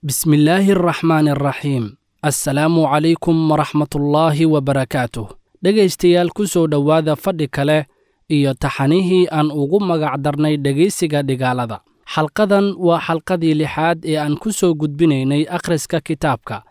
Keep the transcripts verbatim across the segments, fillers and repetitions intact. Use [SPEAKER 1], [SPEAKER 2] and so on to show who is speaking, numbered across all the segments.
[SPEAKER 1] Bismillaahi araxmaani araxiim. Assalaamu calaykum waraxmatullaahi wabarakaatuh. Dhegaystayaal, ku soo dhowaada fadhi kale iyo taxanihii aan ugu magac darnay dhegaysiga dhigaalada. Xalqadan waa xalqadii lixaad ee aan ku soo gudbinaynay akhriska kitaabka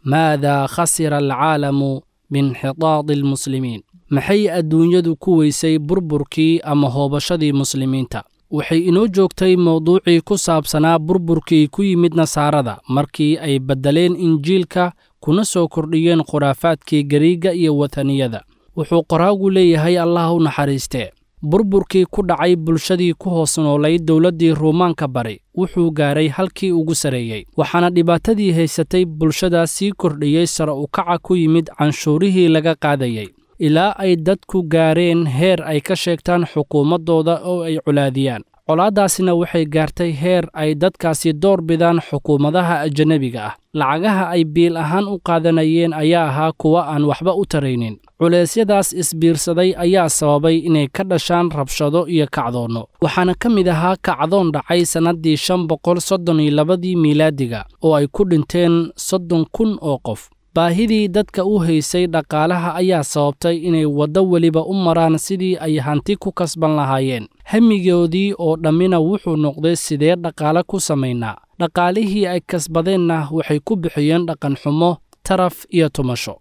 [SPEAKER 1] Maadaa khasira alcaalamu biinxitaadi almuslimiin, maxay adduunyadu ku weysay burburkii ama hoobashadii muslimiinta. Waxay inoo joogtay mowduucii ku saabsanaa burburkii ku yimid nasaarada markii ay beddeleen Injiilka kuna soo kordhiyeen khuraafaadkii Gariigga iyo wataniyada. Wuxuu qoraagu leeyahay, Allah u naxariistee, burburkii ku dhacay bulshadii ku hoos noolayd dowladdii Ruumaanka bari wuxuu gaaray halkii ugu sarreeyey, waxaana dhibaatadii haysatay bulshadaas sii kordhiyey sare u kaca ku yimid canshuurihii laga qaadayey, ilaa ay dadku gaareen heer ay ka sheegtaan xukuumaddooda oo ay colaadiyaan. Colaaddaasina waxay gaartay heer ay dadkaasi door bidaan xukuumadaha ajanabiga ah. Lacagaha ay biil ahaan u qaadanayeen ayaa ahaa kuwa aan waxba u taraynin. Culeysyadaas isbiirsaday ayaa sababay inay ka dhashaan rabshado iyo kacdoonno, waxaana ka mid ahaa kacdoon dhacay sannaddii shan boqol soddon iyo labadii miilaadiga oo ay ku dhinteen soddon kun oo qof. Baahidii dadka u haysay dhaqaalaha ayaa sababtay inay waddo weliba u maraan sidii ay hanti ku kasban lahaayeen. Hamigoodii oo dhammina wuxuu noqday sidee dhaqaale ku samaynaa. Dhaqaalihii ay kasbadeenna waxay ku bixiyeen dhaqanxumo, taraf iyo tumasho.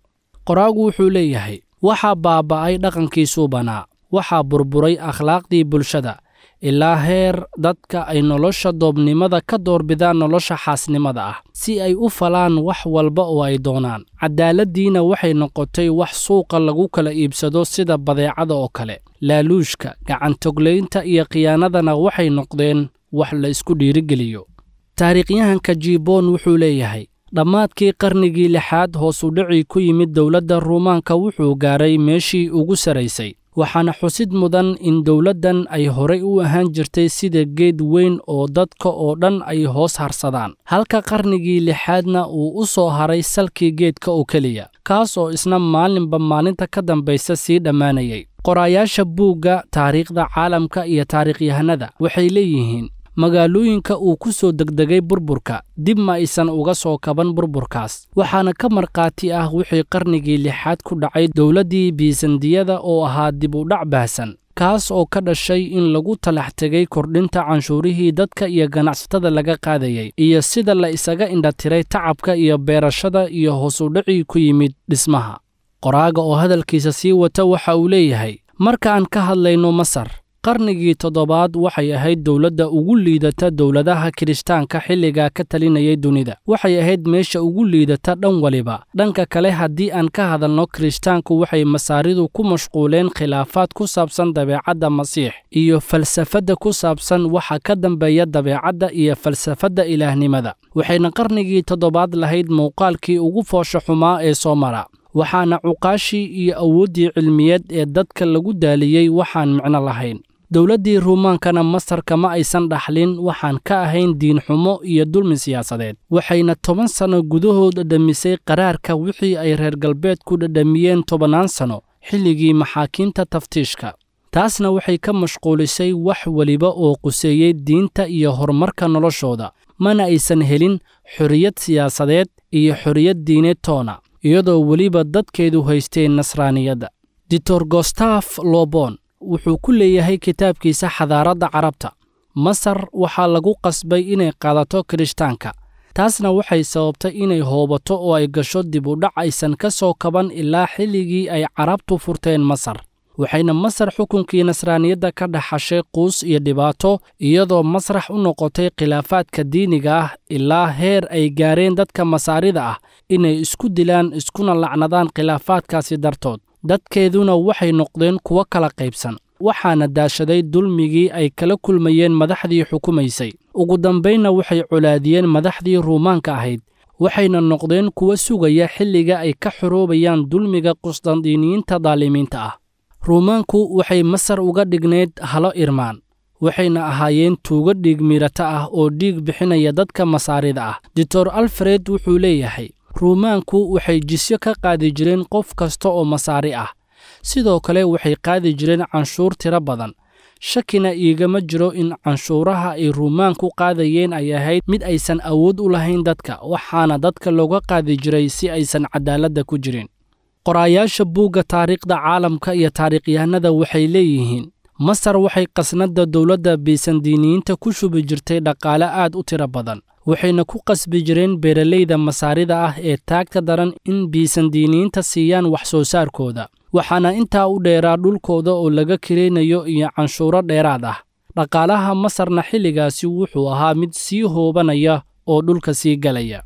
[SPEAKER 1] Qoraagu wuxuu leeyahay, waxaa baaba'ay dhaqankii suubanaa, waxaa burburay akhlaaqdii bulshada, ilaa heer dadka ay nolosha doobnimada ka doorbidaan nolosha xaasnimada ah, si ay u falaan wax walba oo ay doonaan. Cadaaladdiina waxay noqotay wax suuqa lagu kala iibsado sida badeecada oo kale. Laaluushka, gacantoglaynta iyo khiyaanadana waxay noqdeen wax la isku dhiirigeliyo. Taariikhyahanka Jibon wuxuu leeyahay, dhammaadkii qarnigii lixaad hoos u dhicii ku yimid dowladda Ruumaanka wuxuu gaaray meeshii ugu sarraysay, waxaana xusid mudan in dowladdan ay horay u ahaan jirtay sida geed weyn oo dadka oo dhan ay hoos harsadaan, halka qarnigii lixaadna uu u soo haray salkii geedka oo keliya, kaas oo isna maalinba maalinta ka dambaysa sii dhammaanayay. Qoraayaasha buugga taariikhda caalamka iyo taariikhyahanada waxay leeyihiin, magaalooyinka uu ku soo degdegay burburka dib ma aysan uga soo kaban burburkaas, waxaana ka markhaati ah wixii qarnigii lixaad ku dhacay dowladdii Biisandiyada oo ahaa dib u dhac baahsan, kaas oo ka dhashay in lagu talax tegay kordhinta canshuurihii dadka iyo ganacsatada laga qaadayay, iyo sida la isaga indhatiray tacabka iyo beerashada iyo hoos u dhicii ku yimid dhismaha. Qoraaga oo hadalkiisa sii wata waxa uu leeyahay, marka aan ka hadlayno Masar, qarnigii toddobaad waxay ahayd dowladda ugu liidata dowladaha Kirishtaanka xilligaa ka talinayay dunida. Waxay ahayd meesha ugu liidata dhan waliba. Dhanka kale, haddii aan ka hadalno Kirishtaanku, waxay Masaaridu ku mashquuleen khilaafaad ku saabsan dabeecadda Masiix iyo falsafadda ku saabsan waxa ka dambeeya dabeecadda iyo falsafadda ilaahnimada. Waxayna qarnigii toddobaad lahayd muuqaalkii ugu foosha xumaa ee soo mara, waxaana cuqaashii iyo awooddii cilmiyeed ee dadka lagu daaliyey waxaan micno lahayn. Dowladdii Ruumaankana Masar kama aysan dhaxlin waxaan ka ahayn diinxumo iyo dulmi siyaasadeed, waxayna toban sanno gudahood dhadhamisay qaraarka wixii ay reer galbeedku dhadhamiyeen tobannaan sanno xilligii maxaakiimta taftiishka. Taasna waxay ka mashquulisay wax weliba oo quseeyey diinta iyo horumarka noloshooda, mana aysan helin xorriyad siyaasadeed iyo xorriyad diineed toona, iyadoo weliba dadkeedu haysteen nasraaniyadda. Doctor Gostaf Lobon wuxuu ku leeyahay kitaabkiisa Xadaaradda Carabta, Masar waxaa lagu qasbay inay qaadato Kirishtaanka, taasna waxay sababtay inay hoobato oo ay gasho dib u dhac aysan ka soo kaban ilaa xilligii ay Carabtu furteen Masar. Waxayna Masar xukunkii nasraaniyadda ka dhaxashay quus iyo dhibaato, iyadoo masrax u noqotay khilaafaadka diiniga ah ilaa heer ay gaareen dadka Masaarida ah inay isku dilaan iskuna lacnadaan khilaafaadkaasi dartood. Dadkeeduna waxay noqdeen kuwo kala qaybsan, waxaana daashaday dulmigii ay kala kulmayeen madaxdii xukumaysay. Ugu dambaynna waxay colaadiyeen madaxdii Ruumaanka ahayd, waxayna noqdeen kuwo sugaya xilliga ay ka xoroobayaan dulmiga Qusdandiiniyiinta daalimiinta ah. Ruumaanku waxay Masar uga dhignayd halo irmaan, waxayna ahaayeen tuugo dhiig miirata ah oo dhiig bixinaya dadka Masaarida ah. Doctor Alfred wuxuu leeyahay, Ruumaanku waxay jisyo ka qaadi jireen qof kasta oo Masaari ah, sidoo kale waxay qaadi jireen canshuur tiro badan. Shakina iigama jiro in canshuuraha ay Ruumaan ku qaadayeen ay ahayd mid aysan awood u lahayn dadka, waxaana dadka looga qaadi jiray si aysan cadaaladda ku jirin. Qoraayaasha buugga taariikhda caalamka iyo taariikhyahanada waxay leeyihiin Masar waxay qasnadda dowladda Bisandiiniyiinta ku shubi jirtay dhaqaale aad u tiro badan, waxayna ku qasbi jireen beeralayda Masaarida ah ee taagta daran in Bisandiiniyiinta siiyaan wax soo saarkooda. Waxaana intaa u dheeraa dhulkooda oo laga kiraynayo iyo canshuuro dheeraad ah. Dhaqaalaha Masarna xilligaasi wuxuu ahaa mid sii hoobanaya oo dhulka sii galaya.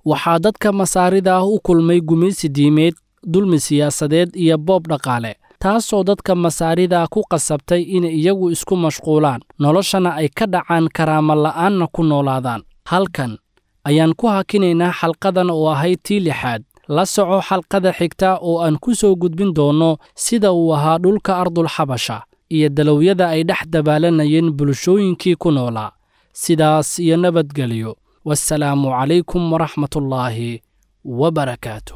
[SPEAKER 1] Waxaa dadka Masaarida ah u kulmay gumaysi diimeed, dulmi siyaasadeed iyo boob dhaqaale, taasoo dadka Masaarida ku qasabtay inay iyagu isku mashquulaan, noloshana ay ka dhacaan, karaamo la'aanna ku noolaadaan. Halkan ayaan ku hakinaynaa xalqadan oo ahayd tii lixaad. La soco xalqada xigta oo aan ku soo gudbin doono sida uu ahaa dhulka Ardul Xabasha iyo dalowyada ay dhex dabaalanayeen bulshooyinkii ku noolaa. Sidaas iyo nabadgelyo. Wassalaamu calaykum waraxmatullaahi wabarakaatu.